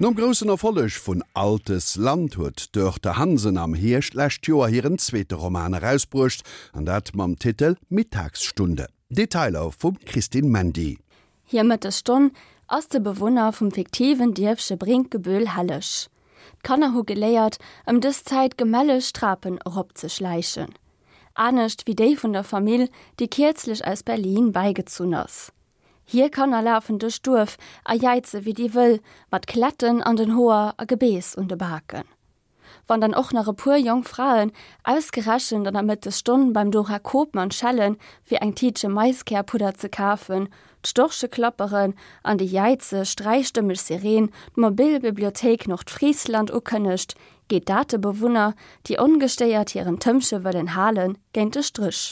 Nom groussen Erfolleg vun Altes Land huet d'Dörte Hansen am Hierscht d'lescht Joer hiren zweete Roman erausbruecht, an dat mam Titel Mittagsstunde. Detailer vum Christine Mandy. Hir Mëttesstonn ass de Bewunner vum fiktiven Dierfche Brinkebüll helleg. D'Kanner hu geléiert, ëm dës Zäit gemälleg d'Trapen eropzeschläichen. Anescht wéi déi vun der Famill, déi kierzlech aus Berlin bäigezunn ass. Hir Kanner lafen duerch d'Duerf a jäize wéi déi Wëll, mat Kletten an den Hoer a Gebeess un de Baken. Wann dann och nach e puer jonk Fraen ausgerechent an der Mëttesstonn beim Dora Koopmann schellen, fir eng Tiitche Maiskärpudder ze kafen, d'Storche klapperen an déi jäizeg, dräistëmmeg Sireen d'mobil Bibliothéik Nordfriesland ukënnegt, geet dat de Bewunner, déi ongestéiert hiren Tëmpche wëllen halen, géint de Stréch.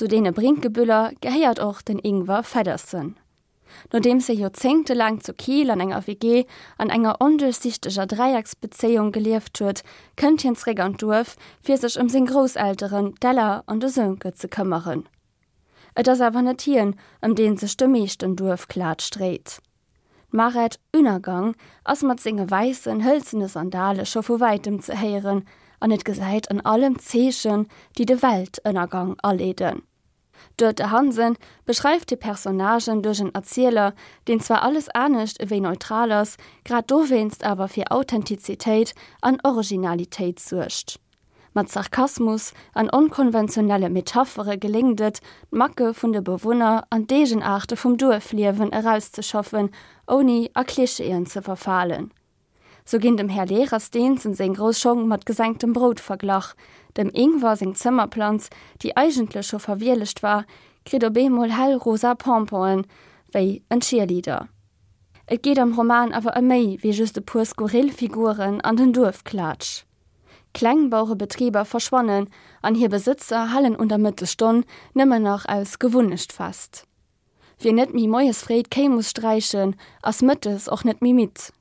Zu deene Brinkebüller gehéiert och den Ingwer Feddersen. Nodeems hie joerzéngtelaang zu Kiel an enger WG an enger onduerchsiichteger Dräiecksbezéiung gelieft huet, kënnt hien zeréck an d'Duerf, fir sech ëm seng Grousselteren, d'Ella an de Sönke, ze këmmeren. Et ass awer net hien, ëm dee sech de meeschten Duerfklatsch dréit. D'Maret Ünnergang ass mat senge wäissen, hëlzene Sandale scho vu wäitem ze héieren an et gesäit an allem Zeechen, déi de Weltënnergang aleeden. D'Dörte Hansen beschreift hir Personnagen duerch en Erzieler, deen zwar alles anescht ewéi neutral ass, grad dowéinst awer fir Authentizitéit an Originalitéit suergt. Mat Sarkasmus an onkonventionelle Metaphere geléngt et, d'Macke vun de Bewunner an d'Eegenaarte vum Duerfliewen erauszeschaffen, ouni a Klischeeën ze verfalen. Sou ginn dem Här Lehrer Steensen seng grouss Schong mat gesenktem Brout verglach, dem Ingwer seng Zëmmerplanz, déi eigentlech scho verwielegt war, kritt op eemol hell rosa Pomponen, wéi en Cheerleader. Et geet am Roman awer ëm méi wéi just e puer skurril Figuren an den Duerfklatsch. Klengbauerebetriber verschwannen an hir Besëtzer halen un der Mëttesstonn nëmmen nach aus Gewunnecht fest. Wien net méi moies fréi d'Kéi muss sträichen, ass mëttes och net méi midd.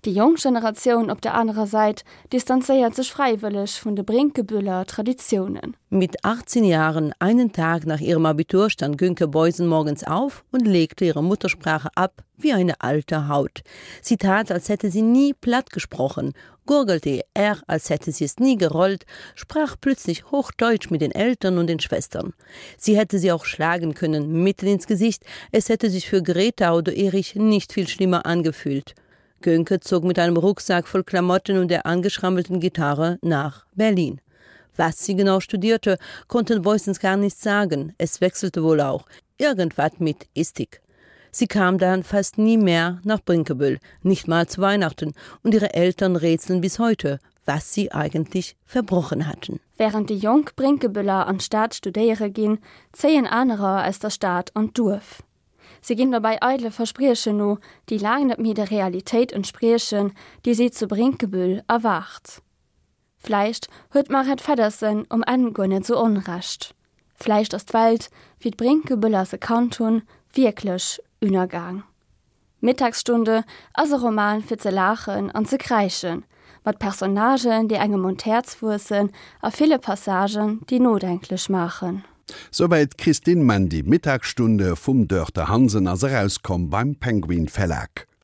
Déi jonk Generatioun op der anerer Säit distanzéiert sech fräiwëlleg vun de Brinkebüller Traditiounen. Mit 18 Jahren, einen Tag nach ihrem Abitur, stand Günke Beusen morgens auf und legte ihre Muttersprache ab wie eine alte Haut. Sie tat, als hätte sie nie platt gesprochen, gurgelte ihr R, als hätte sie es nie gerollt, sprach plötzlich Hochdeutsch mit den Eltern und den Schwestern. Sie hätte sie auch schlagen können, mitten ins Gesicht, es hätte sich für Greta oder Erich nicht viel schlimmer angefühlt. Gönke zog mit einem Rucksack voll Klamotten und der angeschrammelten Gitarre nach Berlin. Was sie genau studierte, konnten Voicens gar nicht sagen. Es wechselte wohl auch. Irgendwas mit Istik. Sie kam dann fast nie mehr nach Brinkebüll, nicht mal zu Weihnachten, und ihre Eltern rätseln bis heute, was sie eigentlich verbrochen hatten. Wärend déi jonk Brinkebüller an d'Stad studéiere ginn, zéien anerer aus der Stad an d'Duerf. Si ginn dobäi eidele Verspriechen no, déi laang net méi der Realitéit entspriechen, déi si zu Brinkebüll erwaart. Vläicht huet d'Maret Feddersen um Enn guer net sou Onrecht. Vläicht ass d'Welt, wéi d'Brinkebüller se kannt hunn, wierklech ünnergaang. Mittagsstunde ass e Roman fir ze laachen an ze kräischen, mat Personnagen, déi engem un d'Häerz wuessen a ville Passagen, déi nodenklech maachen. Souwäit d'Christine Mandy. Mittagsstunde vum Dörte Hansen ass erauskomm beim Penguin Verlag.